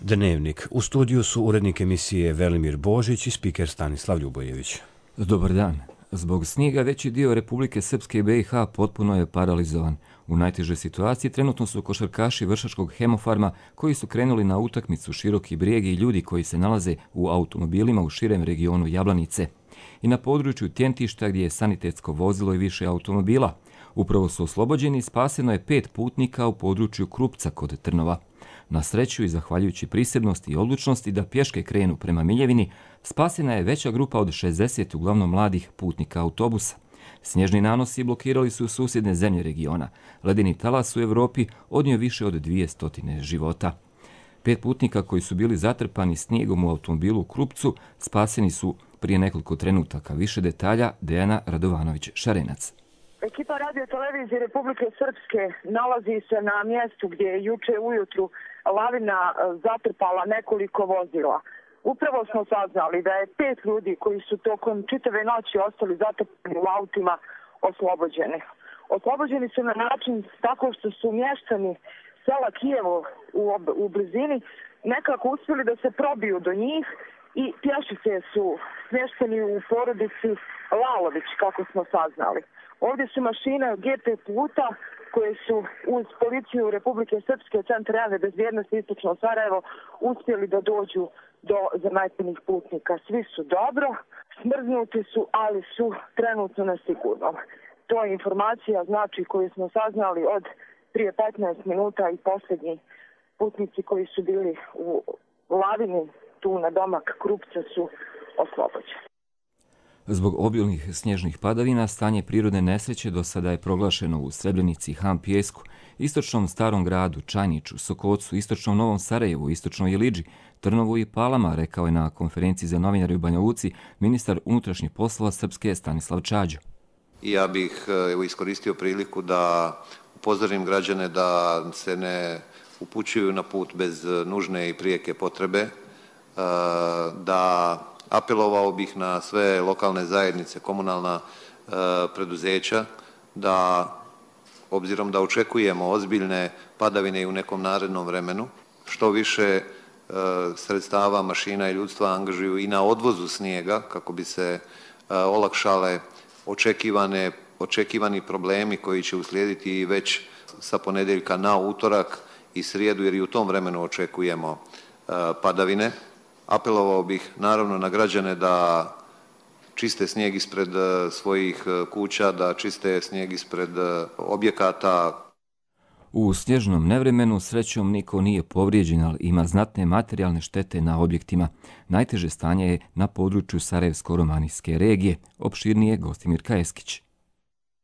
Dnevnik. U studiju su urednik emisije Velimir Božić i spiker Stanislav Ljubojević. Dobar dan. Zbog snijega veći dio Republike Srpske i BiH potpuno je paralizovan. U najtežoj situaciji trenutno su košarkaši Vršačkog Hemofarma koji su krenuli na utakmicu Široki Brijeg i ljudi koji se nalaze u automobilima u širem regionu Jablanice. I na području Tjentišta gdje je sanitetsko vozilo i više automobila. Upravo su oslobođeni i spaseno je 5 putnika u području Krupca kod Trnova. Na sreću i zahvaljujući prisebnosti i odlučnosti da pješke krenu prema Miljevini, spasena je veća grupa od 60 uglavnom mladih putnika autobusa. Snježni nanosi blokirali su susjedne zemlje regiona. Ledeni talas u Europi odnio više od 200 života. 5 putnika koji su bili zatrpani snijegom u automobilu u Krupcu spaseni su prije nekoliko trenutaka. Više detalja Dejana Radovanović-Šarenac. Ekipa radio televizije Republike Srpske nalazi se na mjestu gdje je juče ujutru lavina zatrpala nekoliko vozila. Upravo smo saznali da je 5 ljudi koji su tokom čitave noći ostali zatrpani u autima oslobođeni. Oslobođeni su na način tako što su mještani sela Kijevo u blizini nekako uspjeli da se probiju do njih i pješice su smješteni u porodici Lalović, kako smo saznali. Ovdje su mašine GP puta koje su uz policiju Republike Srpske, Centar javne bezbjednosti Istočno Sarajevo uspjeli da dođu do zametenih putnika. Svi su dobro, smrznuti su, ali su trenutno nesigurno. To je informacija znači koju smo saznali od prije 15 minuta i posljednji putnici koji su bili u lavini tu na domak Krupca su oslobođeni. Zbog obilnih snježnih padavina stanje prirodne nesreće do sada je proglašeno u Srebrenici, Han Pijesku, istočnom Starom gradu, Čajniću, Sokocu, istočnom Novom Sarajevu, istočnoj Iliđi, Trnovu i Palama, rekao je na konferenciji za novinare u Banja Luci ministar unutrašnjih poslova Srpske Stanislav Čađo. Ja bih iskoristio priliku da upozorim građane da se ne upućuju na put bez nužne i prijeke potrebe, da apelovao bih na sve lokalne zajednice, komunalna preduzeća, da obzirom da očekujemo ozbiljne padavine i u nekom narednom vremenu, što više sredstava, mašina i ljudstva angažuju i na odvozu snijega kako bi se olakšale očekivani problemi koji će uslijediti već sa ponedjeljka na utorak i srijedu, jer i u tom vremenu očekujemo padavine. Apelovao bih naravno na građane da čiste snijeg ispred svojih kuća, da čiste snijeg ispred objekata. U snježnom nevremenu srećom niko nije povrijeđen, ali ima znatne materijalne štete na objektima. Najteže stanje je na području Sarajevsko-Romanijske regije, opširnije Gostimir Kajeskić.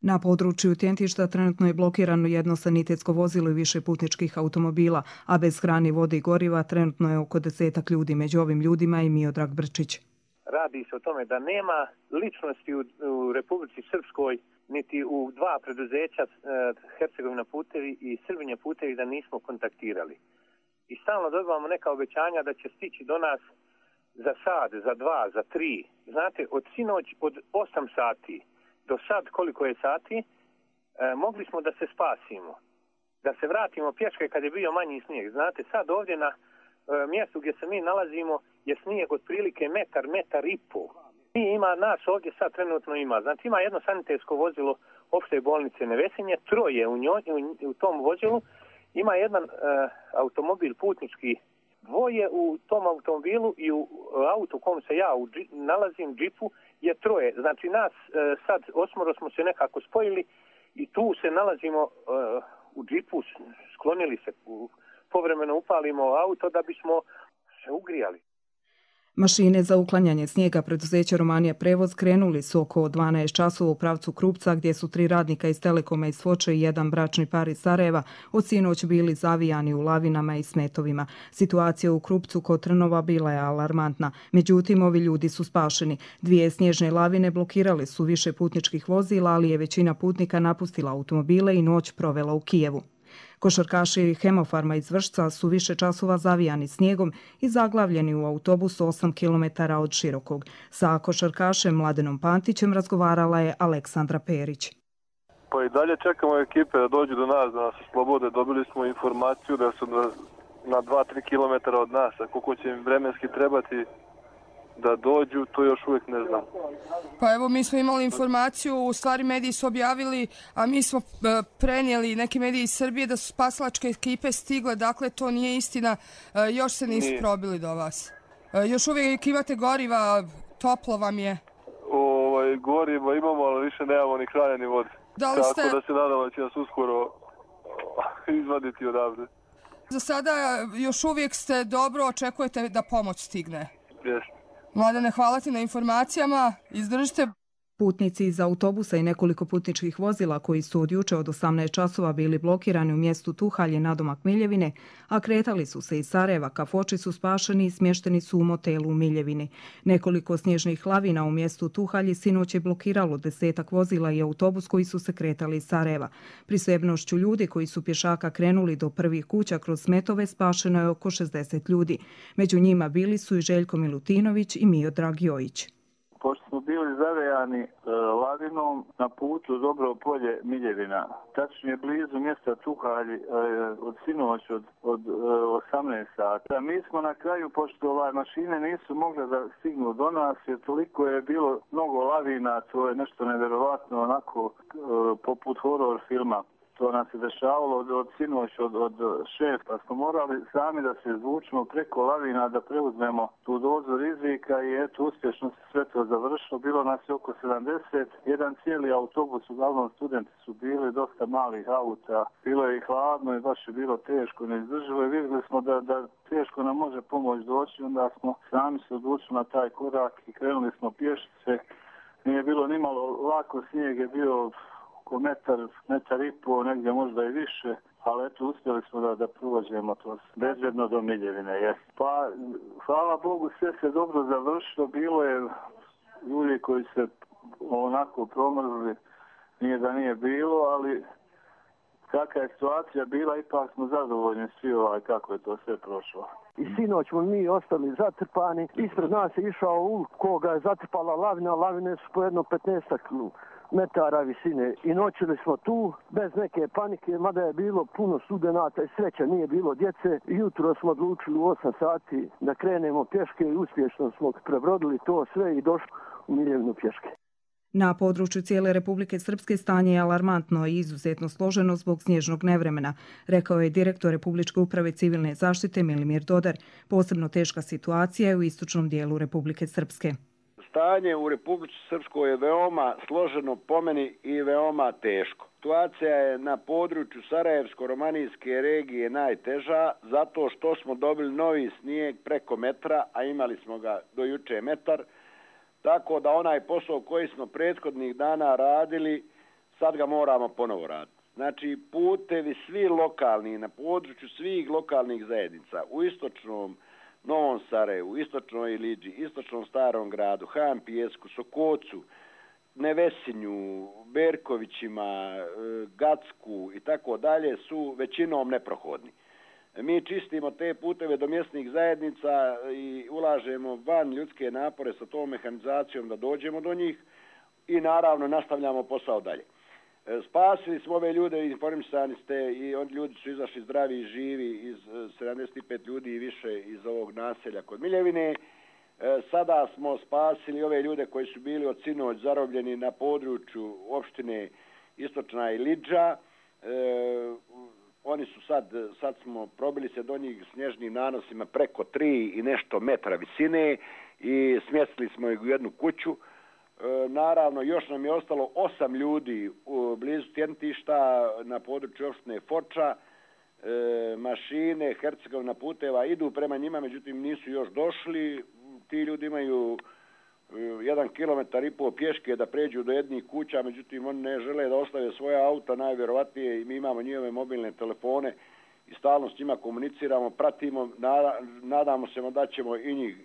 Na području Tjentišta trenutno je blokirano jedno sanitetsko vozilo i više putničkih automobila, a bez hrane, vode i goriva trenutno je oko 10 ljudi. Među ovim ljudima i Miodrag Brčić. Radi se o tome da nema ličnosti u Republici Srpskoj, niti u dva preduzeća, Hercegovina putevi i Srbinja putevi, da nismo kontaktirali. I stalno dobivamo neka obećanja da će stići do nas za sat, za 2, za 3. Znate, od sinoć od 8 sati do sad koliko je sati, mogli smo da se spasimo, da se vratimo pješke kad je bio manji snijeg. Znate, sad ovdje na mjestu gdje se mi nalazimo je snijeg otprilike metar i pol. Ima nas ovdje sad trenutno ima. Znači ima jedno sanitetsko vozilo opšte bolnice Nevesinje, 3 u tom vozilu, ima jedan automobil putnički, 2 u tom automobilu i u autu u kom se ja nalazim, džipu, je 3. Znači nas sad 8 smo se nekako spojili i tu se nalazimo u džipu, sklonili se, povremeno upalimo auto da bismo se ugrijali. Mašine za uklanjanje snijega preduzeća Romanija Prevoz krenuli su oko 12 časova u pravcu Krupca, gdje su 3 radnika iz Telekoma iz Foče i jedan bračni par iz Sarajeva od sinoć bili zavijani u lavinama i smetovima. Situacija u Krupcu kod Trnova bila je alarmantna. Međutim, ovi ljudi su spašeni. 2 snježne lavine blokirale su više putničkih vozila, ali je većina putnika napustila automobile i noć provela u Kijevu. Košarkaši Hemofarma iz Vršca su više časova zavijani snijegom i zaglavljeni u autobusu 8 km od Širokog. Sa košarkašem Mladenom Pantićem razgovarala je Aleksandra Perić. Pa i dalje čekamo ekipe da dođu do nas, da nas oslobode. Dobili smo informaciju da su na 2-3 km od nas, a koliko će im vremenski trebati da dođu, to još uvijek ne znam. Pa evo, mi smo imali informaciju, u stvari mediji su objavili, a mi smo prenijeli, neki mediji iz Srbije, da su spasilačke ekipe stigle, dakle to nije istina, još se nisu probili do vas. Još uvijek imate goriva, toplo vam je? Goriva imamo, ali više nemamo ni hrane ni vode. Tako da se nadamo da će nas uskoro izvaditi odavde. Za sada još uvijek ste dobro, očekujete da pomoć stigne? Jeste. Mladene, hvala ti na informacijama, izdržite. Putnici iz autobusa i nekoliko putničkih vozila koji su od juče od 18 časova bili blokirani u mjestu Tuhalje nadomak Miljevine, a kretali su se iz Sarajeva ka Foči, su spašeni i smješteni su u motelu u Miljevini. Nekoliko snježnih lavina u mjestu Tuhalje sinoć je blokiralo 10-ak vozila i autobus koji su se kretali iz Sarajeva. Prisebnošću ljudi koji su pješaka krenuli do prvih kuća kroz smetove spašeno je oko 60 ljudi. Među njima bili su i Željko Milutinović i Miodrag Jojić. Pošto smo bili zavejani lavinom na putu Dobro polje Miljevina, tačnije blizu mjesta Tuhalji od sinoć od 18 sata. Mi smo na kraju, pošto mašine nisu mogle da stignu do nas, jer toliko je bilo mnogo lavina, to je nešto nevjerovatno, onako poput horror filma. To nas se dešavalo od sinoć od 6, pa smo morali sami da se izvučemo preko lavina, da preuzmemo tu dozu rizika i eto, uspješno se sve to završilo. Bilo nas je oko 70, jedan cijeli autobus, uglavnom studenti su bili, dosta malih auta, bilo je i hladno i baš je bilo teško, neizdrživo i vidjeli smo da teško nam može pomoć doći, onda smo sami se odlučili na taj korak i krenuli smo pješice. Nije bilo nimalo lako, snijeg je bio oko metar i pol, negdje možda i više, ali eto, uspjeli smo da prođemo to bezbjedno do Miljevine. Pa, hvala Bogu, sve se dobro završilo, bilo je ljudi koji se onako promrzli, nije da nije bilo, ali kakva je situacija bila, ipak smo zadovoljni svi kako je to sve prošlo. I sinoć smo mi ostali zatrpani, ispred nas je išao koga je zatrpala lavina, lavine su po jedno 15 metara visine i noćili smo tu bez neke panike, mada je bilo puno studenata i sreća, nije bilo djece. Jutro smo odlučili u 8 sati da krenemo pješke i uspješno smo prebrodili to sve i došli u Miljevinu pješke. Na području cijele Republike Srpske stanje je alarmantno i izuzetno složeno zbog snježnog nevremena, rekao je direktor Republičke uprave civilne zaštite Milimir Dodar. Posebno teška situacija je u istočnom dijelu Republike Srpske. Stanje u Republici Srpskoj je veoma složeno po meni i veoma teško. Situacija je na području Sarajevsko-romanijske regije najteža zato što smo dobili novi snijeg preko metra, a imali smo ga do juče metar. Tako da onaj posao koji smo prethodnih dana radili, sad ga moramo ponovo raditi. Znači, putevi svi lokalni, na području svih lokalnih zajednica, u istočnom Novom Sarajevu, istočnoj Iliđi, istočnom Starom gradu, Han Pijesku, Sokocu, Nevesinju, Berkovićima, Gacku i tako dalje su većinom neprohodni. Mi čistimo te puteve do mjesnih zajednica i ulažemo van ljudske napore sa tom mehanizacijom da dođemo do njih i naravno nastavljamo posao dalje. Spasili smo ove ljude, informisani ste i ljudi su izašli zdravi i živi, iz 75 ljudi i više iz ovog naselja kod Miljevine. Sada smo spasili ove ljude koji su bili od sinoć zarobljeni na području opštine Istočna Iliđa. Oni su sad smo probili se do njih snježnim nanosima preko 3 i nešto metra visine i smjestili smo ih u jednu kuću. Naravno, još nam je ostalo 8 ljudi blizu Tjentišta na području opštine Foča. Mašine Hercegovina puteva idu prema njima, međutim nisu još došli. Ti ljudi imaju 1,5 kilometar pješke da pređu do jednih kuća, međutim oni ne žele da ostave svoja auta, najvjerovatnije, i mi imamo njihove mobilne telefone i stalno s njima komuniciramo, pratimo, nadamo se da ćemo i njih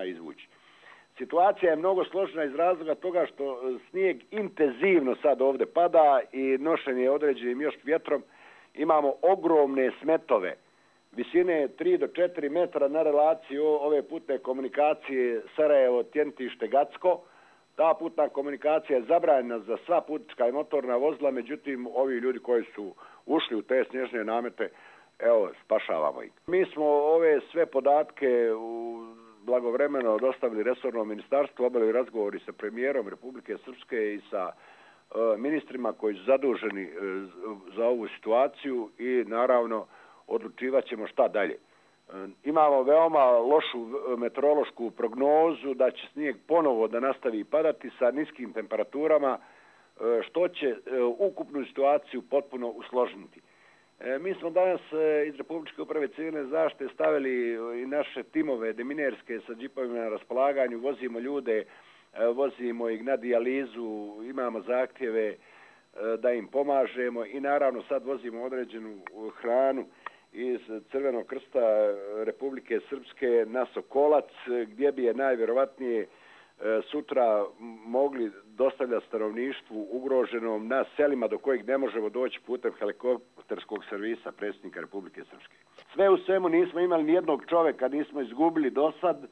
izvući. Situacija je mnogo složena iz razloga toga što snijeg intenzivno sad ovdje pada i nošen je određenim još vjetrom. Imamo ogromne smetove visine 3 do 4 metra na relaciji ove putne komunikacije Sarajevo-Tjentište-Gacko. Ta putna komunikacija je zabranjena za sva putnička i motorna vozila, međutim ovi ljudi koji su ušli u te snježne namete evo, spašavamo ih. Mi smo ove sve podatke blagovremeno dostavili resornom ministarstvu, obavili razgovori sa premijerom Republike Srpske i sa ministrima koji su zaduženi za ovu situaciju i naravno odlučivat ćemo šta dalje. Imamo veoma lošu meteorološku prognozu da će snijeg ponovo da nastavi padati sa niskim temperaturama, što će ukupnu situaciju potpuno usložiti. Mi smo danas iz Republičke uprave civilne zaštite stavili i naše timove deminerske sa džipovima na raspolaganju, vozimo ljude, vozimo ih na dijalizu, imamo zahtjeve da im pomažemo i naravno sad vozimo određenu hranu iz Crvenog krsta Republike Srpske na Sokolac, gdje bi je najvjerovatnije sutra mogli dostavljati stanovništvu ugroženom na selima do kojih ne možemo doći putem helikopterskog servisa predsjednika Republike Srpske. Sve u svemu nismo imali nijednog čovjeka, nismo izgubili do sad,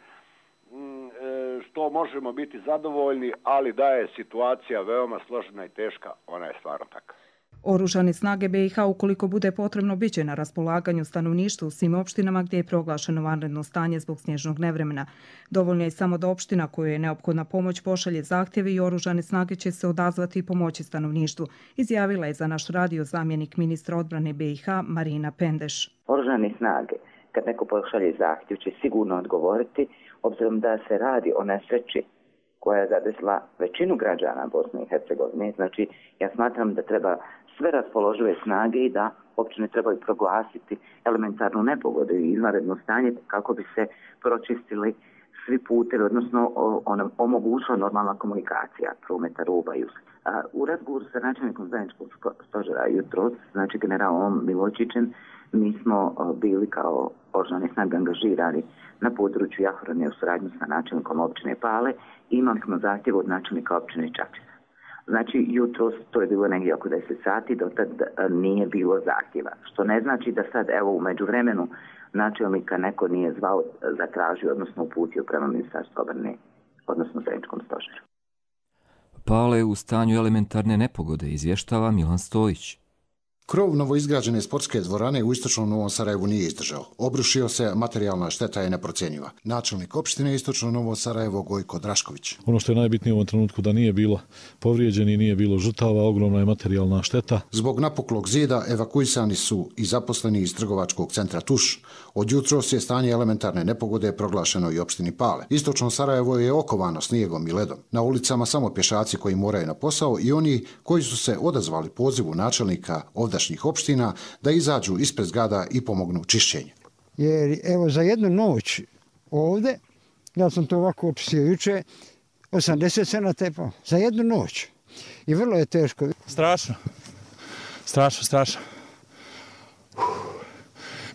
što možemo biti zadovoljni, ali da je situacija veoma složena i teška, ona je stvarno takva. Oružane snage BiH, ukoliko bude potrebno, bit će na raspolaganju stanovništvu u svim opštinama gdje je proglašeno vanredno stanje zbog snježnog nevremena. Dovoljno je samo da opština kojoj je neophodna pomoć pošalje zahtjeve i oružane snage će se odazvati i pomoći stanovništvu, izjavila je za naš radio zamjenik ministra odbrane BiH Marina Pendeš. Oružane snage, kad neko pošalje zahtjev, će sigurno odgovoriti, obzirom da se radi o nesreći koja je zadesila većinu građana Bosne i Hercegovine. Znači, ja smatram da treba sve raspoložive snage i da općine trebaju proglasiti elementarnu nepogodu i izvanredno stanje kako bi se pročistili svi putevi, odnosno omogućila normalna komunikacija prometa roba i usluga. U razgovoru sa načelnikom zajedničkog stožera jutros, znači generalom Miločićem, mi smo bili kao oružane snage angažirani na području Jahorine u suradnji sa načelnikom općine Pale i imali smo zahtjev od načelnika općine Čačica. Znači, jutros, to je bilo negdje oko 10 sati, dotad nije bilo zahtjeva. Što ne znači da sad, evo, u međuvremenu načelnika neko nije zvao, zatražio, odnosno uputio prema Ministarstvu obrane, odnosno zajedničkom stožeru. Pale u stanju elementarne nepogode, izvještava Milan Stojić. Krov novoizgrađene sportske dvorane u istočnom Novom Sarajevu nije izdržao. Obrušio se, materijalna šteta je neprocjenjiva. Načelnik opštine istočno Novo Sarajevo Gojko Drašković. Ono što je najbitnije u ovom trenutku da nije bilo povrijeđeni, nije bilo žrtava, ogromna je materijalna šteta. Zbog napuklog zida evakuisani su i zaposleni iz trgovačkog centra Tuš. Od jutros je stanje elementarne nepogode proglašeno i opštini Pale. Istočno Sarajevo je okovano snijegom i ledom. Na ulicama samo pješaci koji moraju na posao i oni koji su se odazvali pozivu načelnika ovdašnjih opština da izađu ispred zgrada i pomognu čišćenju. Jer evo za jednu noć ovdje, ja sam to ovako očistio juče, 80 cena tepao. Za jednu noć. I vrlo je teško. Strašno.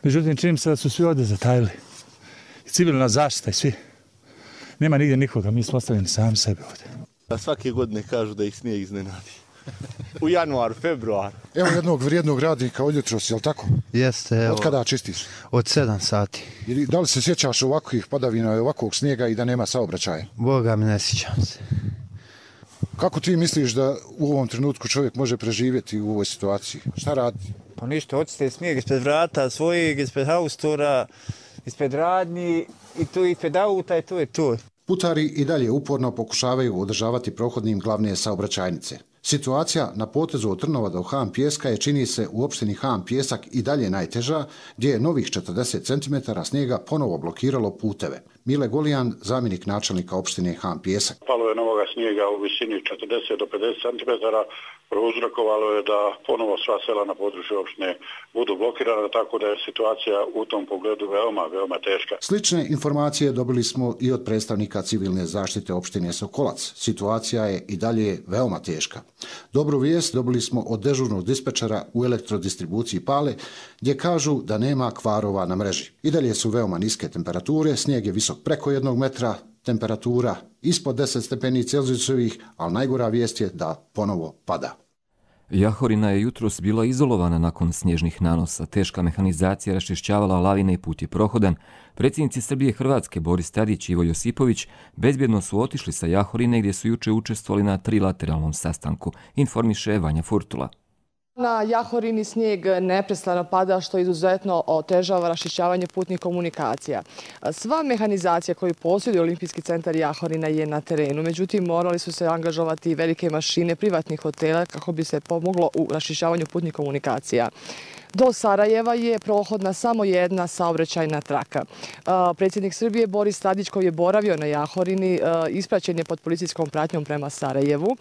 Međutim, čini se da su svi ovdje zatajili. I civilna zaštita i svi. Nema nigdje nikoga, mi smo ostavljeni sami sebe ovdje. Da svake godine kažu da ih snijeg iznenadi. U januaru, februaru. Evo jednog vrijednog radnika od jutros, je li tako? Jeste. Evo, od kada čistiš? Od 7 sati. I da li se sjećaš ovakvih padavina i ovakvog snijega i da nema saobraćaja? Boga mi ne sjećam se. Kako ti misliš da u ovom trenutku čovjek može preživjeti u ovoj situaciji? Šta radi? Pa ništa, očiste snijeg ispred vrata svojeg, ispred haustora, ispred radnji i tu ispred auta i tu je to. Putari i dalje uporno pokušavaju održavati prohodnim glavne saobraćajnice. Situacija na potezu od Trnova do Han Pijeska je, čini se, u opštini Han Pijesak i dalje najteža, gdje je novih 40 cm snijega ponovo blokiralo puteve. Mile Golijan, zamjenik načelnika opštine Han Pijesak. Palo je novoga snijega u visini 40 do 50 cm, prouzrokovalo je da ponovo sva sela na području opštine budu blokirana, tako da je situacija u tom pogledu veoma teška. Slične informacije dobili smo i od predstavnika civilne zaštite opštine Sokolac. Situacija je i dalje veoma teška. Dobru vijest dobili smo od dežurnog dispečera u elektrodistribuciji Pale, gdje kažu da nema kvarova na mreži. I dalje su veoma niske temperature, snijeg je visok preko 1 metra, temperatura ispod 10 stepeni Celzijusovih, ali najgora vijest je da ponovo pada. Jahorina je jutros bila izolovana nakon snježnih nanosa. Teška mehanizacija raščišćavala lavine i put je prohodan. Predsjednici Srbije i Hrvatske Boris Tadić i Ivo Josipović bezbjedno su otišli sa Jahorine gdje su juče učestvovali na trilateralnom sastanku, informiše Vanja Furtula. Na Jahorini snijeg neprestano pada, što izuzetno otežava raščišćavanje putnih komunikacija. Sva mehanizacija koju posjeduje Olimpijski centar Jahorina je na terenu. Međutim, morali su se angažovati velike mašine privatnih hotela kako bi se pomoglo u raščišćavanju putnih komunikacija. Do Sarajeva je prohodna samo jedna saobraćajna traka. Predsjednik Srbije Boris Tadić, koji je boravio na Jahorini, ispraćen je pod policijskom pratnjom prema Sarajevu.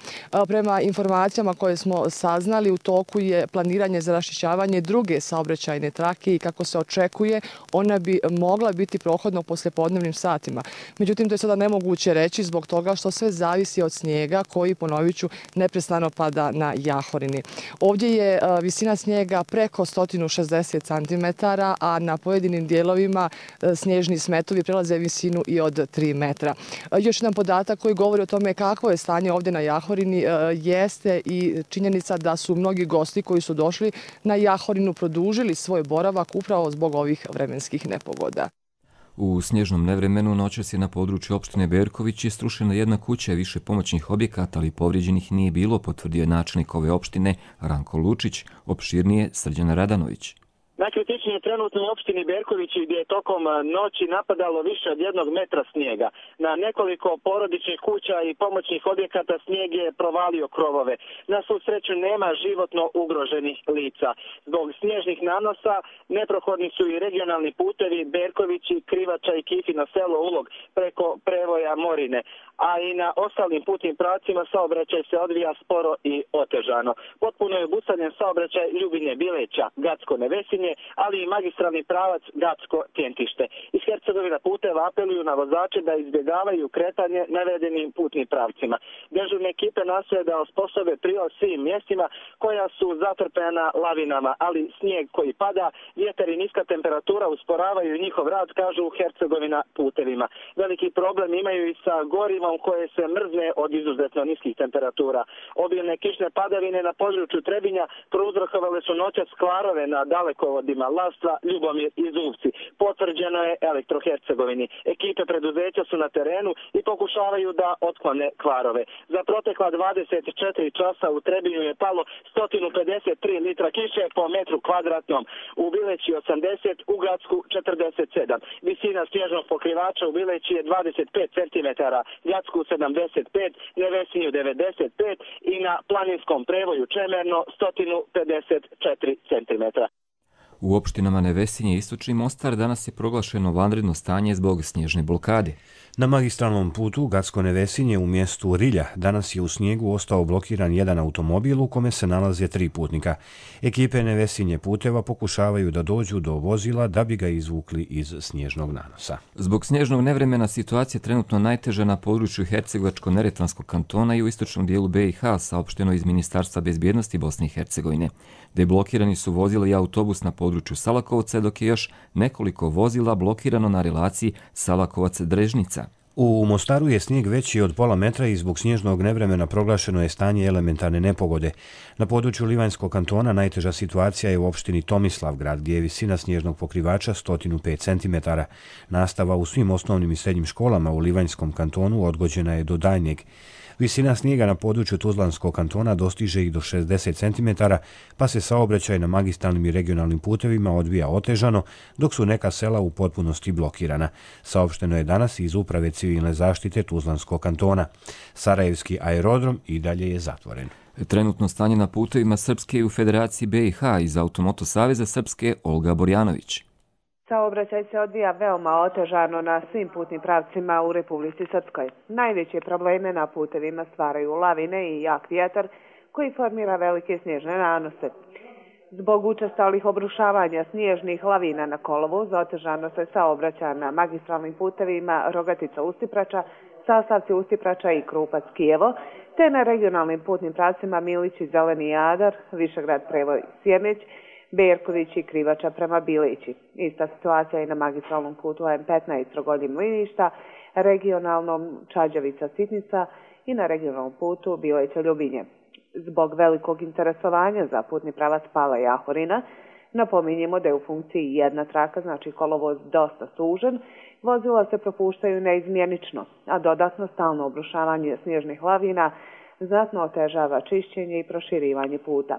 Prema informacijama koje smo saznali, u toku je planiranje za raščišćavanje druge saobraćajne trake i kako se očekuje, ona bi mogla biti prohodna u poslijepodnevnim satima. Međutim, to je sada nemoguće reći zbog toga što sve zavisi od snijega koji, ponovit ću, neprestano pada na Jahorini. Ovdje je visina snijega preko 160 cm, a na pojedinim dijelovima snježni smetovi prelaze visinu i od 3 metra. Još jedan podatak koji govori o tome kakvo je stanje ovdje na Jahorini jeste i činjenica da su mnogi gosti koji su došli na Jahorinu produžili svoj boravak upravo zbog ovih vremenskih nepogoda. U snježnom nevremenu noćas je na području opštine Berković je strušena jedna kuća i više pomoćnih objekata, ali povrijeđenih nije bilo, potvrdio je načelnik ove opštine Ranko Lučić, opširnije Srđan Radanović. Najkritičnije je trenutno u opštini Berković gdje je tokom noći napadalo više od 1 metra snijega. Na nekoliko porodičnih kuća i pomoćnih objekata snijeg je provalio krovove. Na svu sreću nema životno ugroženih lica. Zbog snježnih nanosa neprohodni su i regionalni putevi Berkovići, Krivača i Kifino selo Ulog preko prevoja Morine. A i na ostalim putnim pravcima saobraćaj se odvija sporo i otežano. Potpuno je obustavljen saobraćaj Ljubinje Bileća, Gacko-Nevesinje, ali i magistralni pravac Gacko-Tjentište. Iz Hercegovina puteva apeluju na vozače da izbjegavaju kretanje navedenim putnim pravcima. Dežurne ekipe nastoje da osposobe prilaz svim mjestima koja su zatrpena lavinama, ali snijeg koji pada, vjetar i niska temperatura usporavaju njihov rad, kažu u Hercegovina putevima. Veliki problem imaju i sa gorivom koje se mrzne od izuzetno niskih temperatura. Obilne kišne padavine na području Trebinja prouzrokovale su noćas kvarove na dalekovodima Lastva, Ljubomir i Zubci. Potvrđeno je Elektrohercegovini. Ekipe preduzeća su na terenu i pokušavaju da otklone kvarove. Za protekla 24 časa u Trebinju je palo 153 litra kiše po metru kvadratnom. U Bileći 80, u Gacku 47. Visina snježnog pokrivača u Bileći je 25 cm, Gacku 75, Nevesinju 95 i na planinskom prevoju Čemerno 154 cm. U opštinama Nevesinje i Istočni Mostar danas je proglašeno vanredno stanje zbog snježne blokade. Na magistralnom putu Gacko-Nevesinje u mjestu Rilja danas je u snijegu ostao blokiran jedan automobil u kome se nalaze 3 putnika. Ekipe Nevesinje puteva pokušavaju da dođu do vozila da bi ga izvukli iz snježnog nanosa. Zbog snježnog nevremena situacija je trenutno najteža na području Hercegovačko-Neretvanskog kantona i u istočnom dijelu BiH, saopšteno iz Ministarstva bezbjednosti Bosne i Hercegovine. Deblokirani su vozila i autobus na području Salakovca, dok je još nekoliko vozila blokirano na relaciji Salakovac-Drežnica. U Mostaru je snijeg veći od pola metra i zbog snježnog nevremena proglašeno je stanje elementarne nepogode. Na području Livanjskog kantona najteža situacija je u opštini Tomislavgrad, gdje je visina snježnog pokrivača 105 cm. Nastava u svim osnovnim i srednjim školama u Livanjskom kantonu odgođena je do daljnjeg. Visina snijega na području Tuzlanskog kantona dostiže i do 60 cm, pa se saobraćaj na magistralnim i regionalnim putevima odvija otežano, dok su neka sela u potpunosti blokirana. Saopšteno je danas iz Uprave civilne zaštite Tuzlanskog kantona. Sarajevski aerodrom i dalje je zatvoren. Trenutno stanje na putevima Srpske i u Federaciji BiH iz Automoto Saveza Srpske Olga Borjanović. Saobraćaj se odvija veoma otežano na svim putnim pravcima u Republici Srpskoj. Najveće probleme na putevima stvaraju lavine i jak vjetar koji formira velike snježne nanose. Zbog učestalih obrušavanja snježnih lavina na kolovoz otežano se saobraća na magistralnim putevima Rogatica-Ustiprača, sastavci Ustiprača i Krupac-Kijevo, te na regionalnim putnim pravcima Milić i Zeleni Jadar, Višegrad-Prevoj-Sjemeć, Berković i Krivača prema Bileći. Ista situacija je na magistralnom putu M15 Rogoljin-Liništa, regionalnom Čađavica-Sitnica i na regionalnom putu Bileća-Ljubinje. Zbog velikog interesovanja za putni pravac Pala Jahorina, napominjemo da je u funkciji jedna traka, znači kolovoz dosta sužen, vozila se propuštaju neizmjenično, a dodatno stalno obrušavanje snježnih lavina znatno otežava čišćenje i proširivanje puta.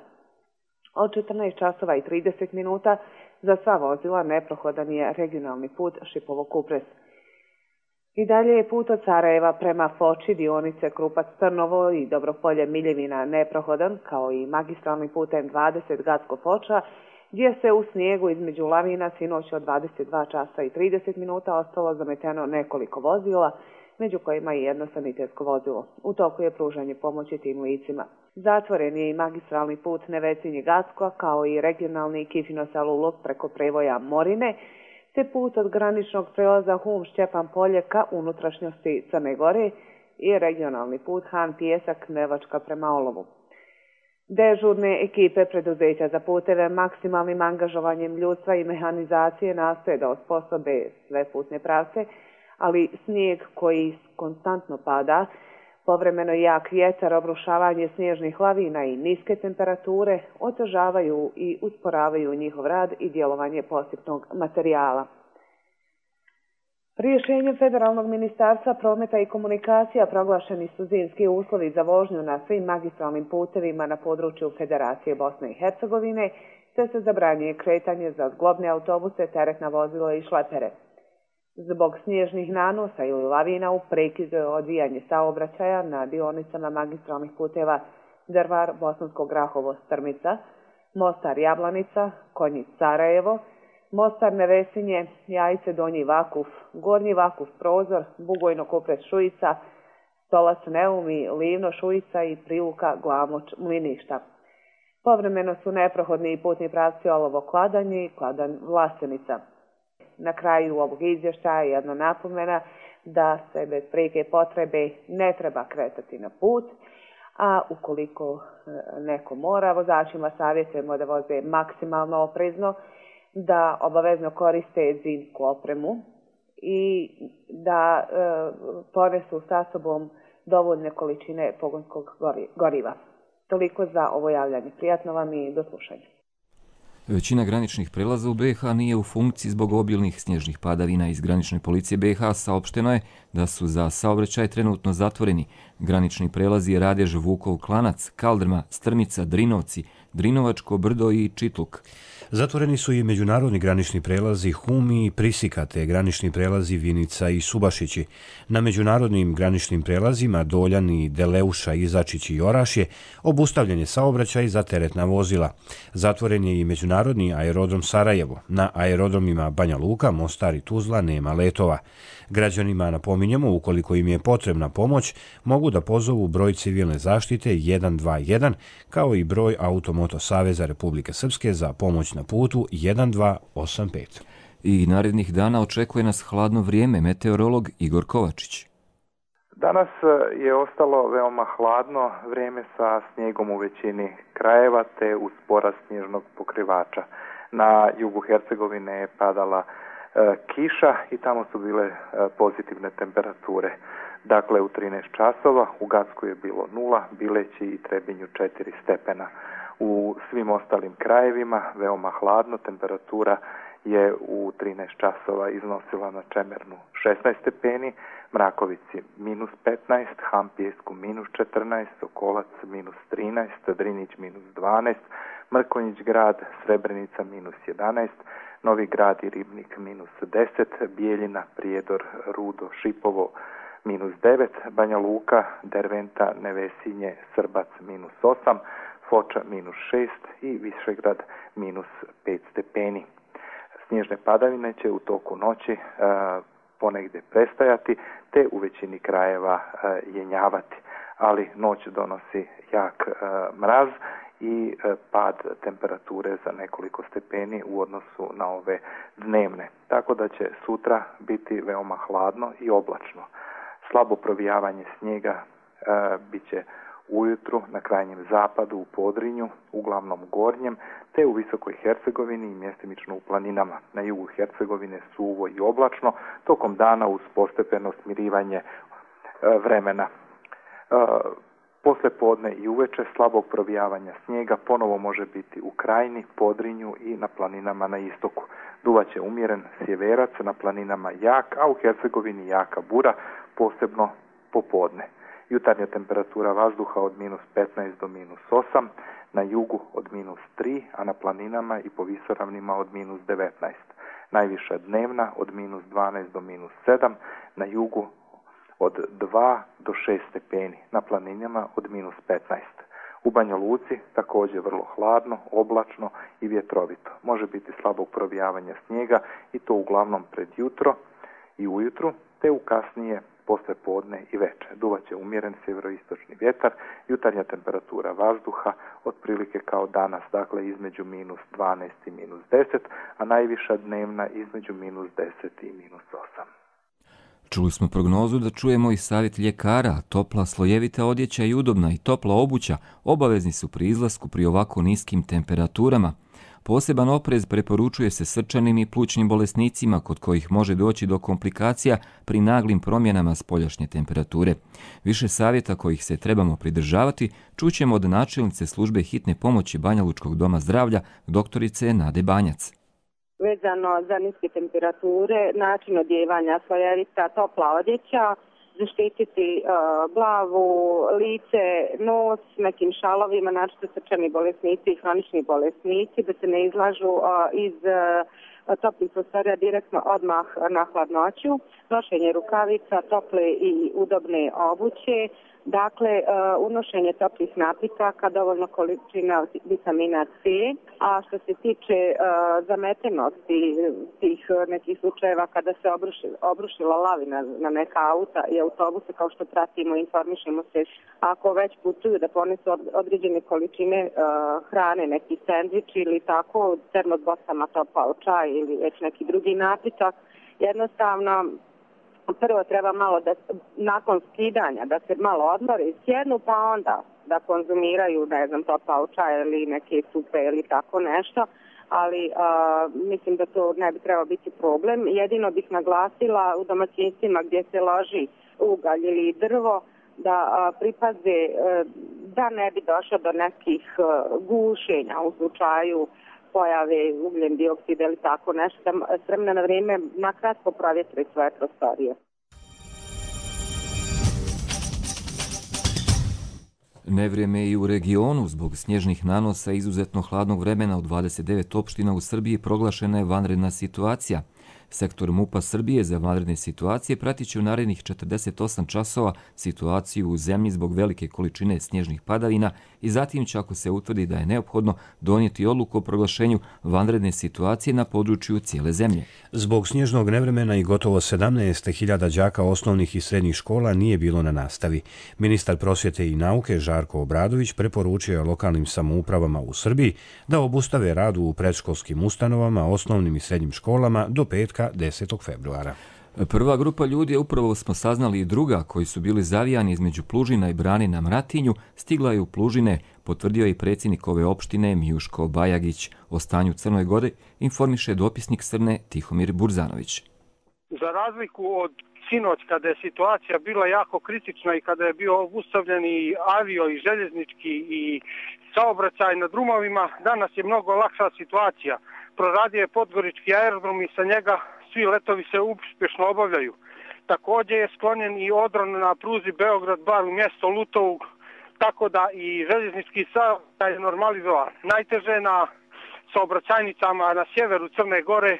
Od 14 časova i 30 minuta za sva vozila neprohodan je regionalni put Šipovo-Kupres. I dalje je put od Sarajeva prema Foči, dionice Krupac-Trnovo i Dobropolje-Miljevina neprohodan, kao i magistralni put M20 Gacko-Foča, gdje se u snijegu između lavina sinoć od 22 časa i 30 minuta ostalo zameteno nekoliko vozila, među kojima i jedno sanitetsko vozilo. U toku je pružanje pomoći tim licima. Zatvoren je i magistralni put Nevecinje-Gacko, kao i regionalni Kifino-Selu-Luk preko prevoja Morine, te put od graničnog prelaza Hum-Šćepan-Polje ka unutrašnjosti Crne Gore i regionalni put Han-Pijesak-Nevačka prema Olovu. Dežurne ekipe preduzeća za puteve maksimalnim angažovanjem ljudstva i mehanizacije nastoje da osposobe sve putne pravce, ali snijeg koji konstantno pada, povremeno jak vjetar, obrušavanje snježnih lavina i niske temperature otežavaju i usporavaju njihov rad i djelovanje posipnog materijala. Rješenjem Federalnog ministarstva prometa i komunikacija proglašeni su zimski uslovi za vožnju na svim magistralnim putevima na području Federacije Bosne i Hercegovine, te se zabranjuje kretanje za zglobne autobuse, teretna vozila i šlepere. Zbog snježnih nanosa ili lavina u prekidu odvijanje saobraćaja na dionicama magistralnih puteva Drvar, Bosansko Grahovo, Strmica, Mostar Jablanica, Konjic Sarajevo, Mostar Nevesinje, Jajce Donji Vakuf, Gornji Vakuf Prozor, Bugojno Kupres Šujica, Stolac Neumi, Livno Šujica i Priluka Glamoč Mliništa. Povremeno su neprohodni putni pravci Olovo Kladanje i Kladanj Vlasenica. Na kraju ovog izvještaja jedna napomena da se bez prijeke potrebe ne treba kretati na put, a ukoliko neko mora, vozačima savjetujemo da voze maksimalno oprezno, da obavezno koriste zimsku opremu i da ponesu sa sobom dovoljne količine pogonskog goriva. Toliko za ovo javljanje. Prijatno vam i do slušanja. Većina graničnih prelaza u BiH nije u funkciji zbog obilnih snježnih padavina. Iz granične policije BiH saopšteno je da su za saobraćaj trenutno zatvoreni granični prelazi Radež, Vukov Klanac, Kaldrma, Strmica, Drinovci, Drinovačko brdo i Čitluk. Zatvoreni su i međunarodni granični prelazi Humi i Prisika, te granični prelazi Vinica i Subašići. Na međunarodnim graničnim prelazima Doljani, Deleuša, Izačić i Orašje obustavljen je saobraćaj za teretna vozila. Zatvoren je i međunarodni aerodrom Sarajevo. Na aerodromima Banja Luka, Mostar i Tuzla nema letova. Građanima napominjemo, ukoliko im je potrebna pomoć, mogu da pozovu broj civilne zaštite 121, kao i broj Automoto Saveza Republike Srpske za pomoć na putu 1285. I narednih dana očekuje nas hladno vrijeme, meteorolog Igor Kovačić. Danas je ostalo veoma hladno vrijeme sa snijegom u većini krajeva te uz porast snježnog pokrivača. Na jugu Hercegovine je padala kiša i tamo su bile pozitivne temperature. Dakle, u 13 časova u Gacku je bilo 0, Bileći i Trebinju 4 stepena. U svim ostalim krajevima veoma hladno, temperatura je u 13 časova iznosila na Čemernu 16 stepeni, Mrakovici minus 15, Hampijesku minus 14, Sokolac minus 13, Drinić minus 12, Mrkonjić grad, Srebrenica minus 11, Novi grad i Ribnik minus 10, Bijeljina, Prijedor, Rudo, Šipovo minus 9, Banja Luka, Derventa, Nevesinje, Srbac minus 8, Foča minus 6 i Višegrad minus 5 stepeni. Snježne padavine će u toku noći ponegdje prestajati te u većini krajeva jenjavati, ali noć donosi jak mraz i pad temperature za nekoliko stepeni u odnosu na ove dnevne. Tako da će sutra biti veoma hladno i oblačno. Slabo provijavanje snijega bit će ujutru na krajnjem zapadu u Podrinju, uglavnom gornjem, te u Visokoj Hercegovini i mjestimično u planinama. Na jugu Hercegovine suvo i oblačno, tokom dana uz postepeno smirivanje vremena. Posle podne i uveče slabog provijavanja snijega ponovo može biti u Krajini, Podrinju i na planinama na istoku. Duvaće umjeren sjeverac, na planinama jak, a u Hercegovini jaka bura, posebno popodne. Jutarnja temperatura vazduha od minus 15 do minus 8, na jugu od minus 3, a na planinama i po visoravnima od minus 19. Najviša dnevna od minus 12 do minus 7, na jugu od 2 do 6 stepeni, na planinama od minus 15. U Banja Luci također vrlo hladno, oblačno i vjetrovito. Može biti slabog provijavanja snijega i to uglavnom pred jutro i ujutru, te u kasnije posle podne i večer. Duvaće umjeren sjeveroistočni vjetar, jutarnja temperatura vazduha otprilike kao danas, dakle između minus 12 i minus 10, a najviša dnevna između minus 10 i minus 8. Čuli smo prognozu, da čujemo i savjet ljekara. Topla slojevita odjeća i udobna i topla obuća obavezni su pri izlasku pri ovako niskim temperaturama. Poseban oprez preporučuje se srčanim i plućnim bolesnicima kod kojih može doći do komplikacija pri naglim promjenama spoljašnje temperature. Više savjeta kojih se trebamo pridržavati čućemo od načelnice službe hitne pomoći Banjalučkog doma zdravlja, doktorice Nade Banjac. Vezano za niske temperature, način odjevanja, slojevita, topla odjeća, zaštititi glavu, lice, nos nekim šalovima, naročito srčani bolesnici i hronični bolesnici, da se ne izlažu iz toplih prostorija direktno odmah na hladnoću, nošenje rukavica, tople i udobne obuće, dakle unošenje toplih napitaka, dovoljno količina vitamina C, a što se tiče zametenosti tih nekih slučajeva kada se obrušila lavina na neka auta i autobuse, kao što pratimo i informišemo se, ako već putuju da ponesu određene količine hrane, neki sendvič ili tako, termos bosama topao čaj ili već neki drugi napitak, jednostavno prvo treba malo da nakon skidanja da se malo odmore i sjednu, pa onda da konzumiraju, ne znam, topao čaj ili neke supe ili tako nešto, ali mislim da to ne bi trebao biti problem. Jedino bih naglasila u domaćinstvima gdje se loži ugalj ili drvo da pripaze da ne bi došlo do nekih gušenja u slučaju pojave ugljen dioksida ili tako nešto, da s vremena na vrijeme nakratko provjetri svoje prostorije. Nevrijeme i u regionu zbog snježnih nanosa izuzetno hladnog vremena u 29 opština u Srbiji proglašena je vanredna situacija. Sektor MUP-a Srbije za vanredne situacije pratit će u narednih 48 časova situaciju u zemlji zbog velike količine snježnih padavina i zatim će, ako se utvrdi da je neophodno, donijeti odluku o proglašenju vanredne situacije na području cijele zemlje. Zbog snježnog nevremena i gotovo 17.000 đaka osnovnih i srednjih škola nije bilo na nastavi. Ministar prosvjete i nauke Žarko Obradović preporučio je lokalnim samoupravama u Srbiji da obustave rad u predškolskim ustanovama, osnovnim i srednjim školama do petka 10. februara. Prva grupa ljudi, upravo smo saznali i druga, koji su bili zavijani između Plužina i Brane na Mratinju, stigla je u Plužine, potvrdio je predsjednik ove opštine Mijuško Bajagić. O stanju Crnoj Gori informiše dopisnik Srne Tihomir Burzanović. Za razliku od sinoć kada je situacija bila jako kritična i kada je bio obustavljen i avio i željeznički i saobraćaj na drumovima, danas je mnogo lakša situacija. Proradio je Podgorički aerodrom i sa njega svi letovi se uspješno obavljaju. Također je sklonjen i odron na pruzi Beograd-Bar u mjesto Lutovu, tako da i željeznički saobraćaj je normalizovan. Najteže na saobraćajnicama na sjeveru Crne Gore,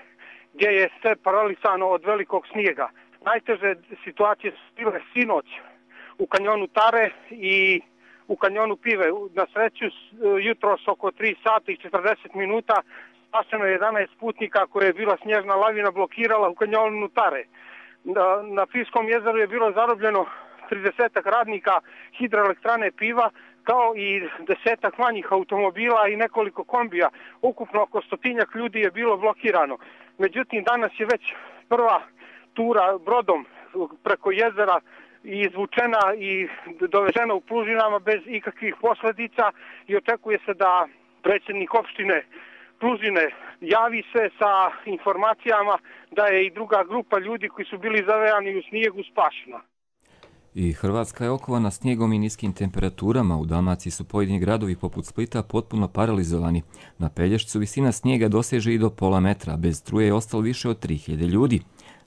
gdje je sve paralisano od velikog snijega. Najteže situacije su bile sinoć u kanjonu Tare i u kanjonu Pive. Na sreću jutros oko 3 sata i 40 minuta spašeno je 11 putnika koje je bila snježna lavina blokirala u kanjonu Tare. Na Fiskom jezeru je bilo zarobljeno 30 radnika hidroelektrane Piva, kao i 10 manjih automobila i nekoliko kombija. Ukupno oko 100 ljudi je bilo blokirano. Međutim, danas je već prva tura brodom preko jezera izvučena i dovežena u Plužinama bez ikakvih posljedica i očekuje se da predsjednik opštine Plužine javi se sa informacijama da je i druga grupa ljudi koji su bili zavejani u snijegu spašena. I Hrvatska je okovana snijegom i niskim temperaturama. U Dalmaciji su pojedini gradovi poput Splita potpuno paralizovani. Na Pelješcu visina snijega doseže i do pola metra. Bez struje je ostalo više od 3000 ljudi.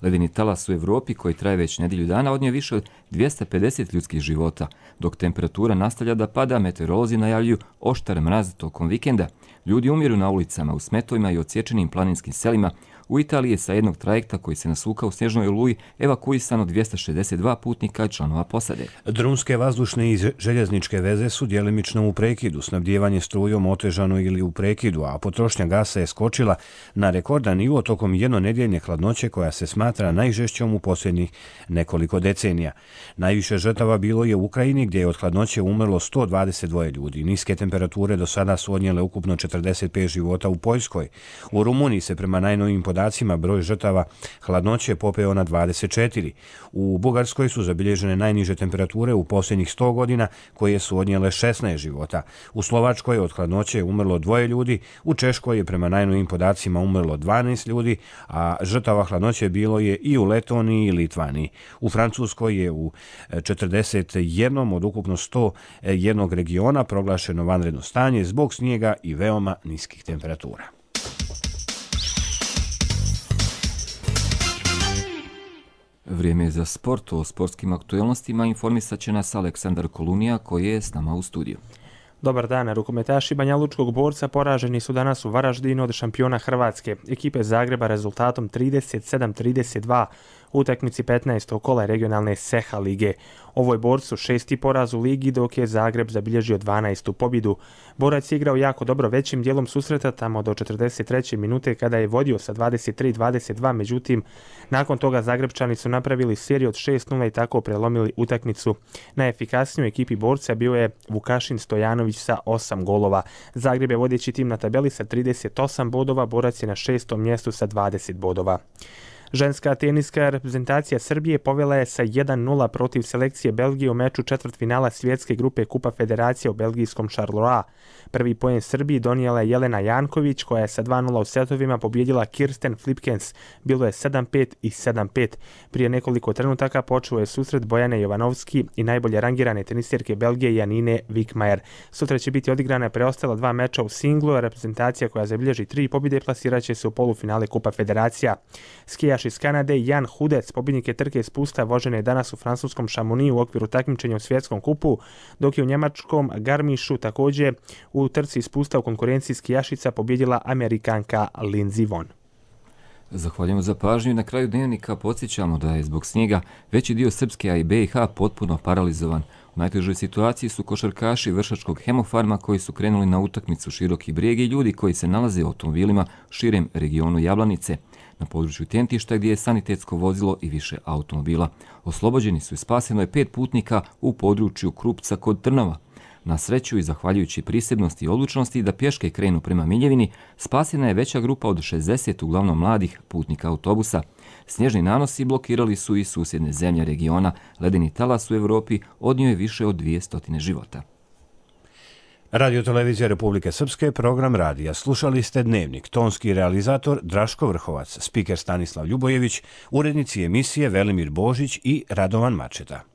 Ledeni talas u Evropi, koji traje već nedjelju dana, odnio više od 250 ljudskih života. Dok temperatura nastavlja da pada, meteorolozi najavljuju oštar mraz tokom vikenda. Ljudi umiru na ulicama, u smetovima i odsječenim planinskim selima. U Italiji je sa jednog trajekta koji se nasukao u snježnoj oluji evakuisano 262 putnika i članova posade. Drumske, vazdušne i željezničke veze su djelimično u prekidu, snabdijevanje strujom otežano ili u prekidu, a potrošnja gasa je skočila na rekordan nivo tokom jednonedjeljne hladnoće koja se smatra najžešćom u posljednjih nekoliko decenija. Najviše žrtava bilo je u Ukrajini, gdje je od hladnoće umrlo 122 ljudi. Niske temperature do sada su odnijele ukupno 45 života u Poljskoj. U Rumuniji se prema najnovijim podacima broj žrtava hladnoće popeo na 24. U Bugarskoj su zabilježene najniže temperature u posljednjih 100 godina, koje su odnijele 16 života. U Slovačkoj od hladnoće je umrlo 2 ljudi, u Češkoj je prema najnovijim podacima umrlo 12 ljudi, a žrtava hladnoće bilo je i u Letoniji i Litvaniji. U Francuskoj je u 41 od ukupno 101 regiona proglašeno vanredno stanje zbog snijega i veoma niskih temperatura. Vrijeme je za sport. O sportskim aktualnostima informisat će nas Aleksandar Kolunija, koji je s nama u studiju. Dobar dan, rukometaši Banja Lučkog Borca poraženi su danas u Varaždinu od šampiona Hrvatske, ekipe Zagreba, rezultatom 37-32 u utakmici 15. kola regionalne SEHA lige. Ovo je Borcu 6. poraz u ligi, dok je Zagreb zabilježio 12. pobjedu. Borac je igrao jako dobro većim dijelom susreta tamo do 43. minute kada je vodio sa 23-22, međutim, nakon toga Zagrebčani su napravili seriju od 6-0 i tako prelomili utakmicu. Najefikasnijoj ekipi Borca bio je Vukašin Stojanović sa 8 golova. Zagreb je vodeći tim na tabeli sa 38 bodova, Borac je na 6. mjestu sa 20 bodova. Ženska teniska reprezentacija Srbije povela je sa 1-0 protiv selekcije Belgije u meču četvrtfinala svjetske grupe Kupa Federacije u belgijskom Charleroi. Prvi poen Srbiji donijela je Jelena Janković, koja je sa 2-0 u setovima pobjedila Kirsten Flipkens. Bilo je 7-5 i 7-5. Prije nekoliko trenutaka počeo je susret Bojane Jovanovski i najbolje rangirane tenisirke Belgije Janine Wickmajer. Sutra će biti odigrana preostala 2 meča u singlu, a reprezentacija koja zabilježi 3 pobjede plasirat će se u polufinale Kupa Federacija. Skijaš iz Kanade Jan Hudec, pobjednik je trke spusta, vožene je danas u francuskom Chamonixu u okviru takmičenja u svjetskom kupu, dok je u njemačkom Garmischu također u trci spusta u konkurenciji skijašica pobjedila Amerikanka Lindsey Vonn. Zahvaljujemo za pažnju. Na kraju dnevnika podsjećamo da je zbog snijega veći dio Srpske, a i BiH potpuno paralizovan. U najtežoj situaciji su košarkaši Vršačkog Hemofarma koji su krenuli na utakmicu Široki Brijeg i ljudi koji se nalaze u automobilima širem regionu Jablanice. Na području Tjentišta, gdje je sanitetsko vozilo i više automobila. Oslobođeni su i spaseno je 5 putnika u području Krupca kod Trnova. Na sreću i zahvaljujući prisebnosti i odlučnosti da pješke krenu prema Miljevini, spasena je veća grupa od 60 uglavnom mladih putnika autobusa. Snježni nanosi blokirali su i susjedne zemlje regiona. Ledeni talas u Evropi odnio je više od 200 života. Radio Televizija Republike Srpske, program radija. Slušali ste Dnevnik, tonski realizator Draško Vrhovac, spiker Stanislav Ljubojević, urednici emisije Velimir Božić i Radovan Mačeta.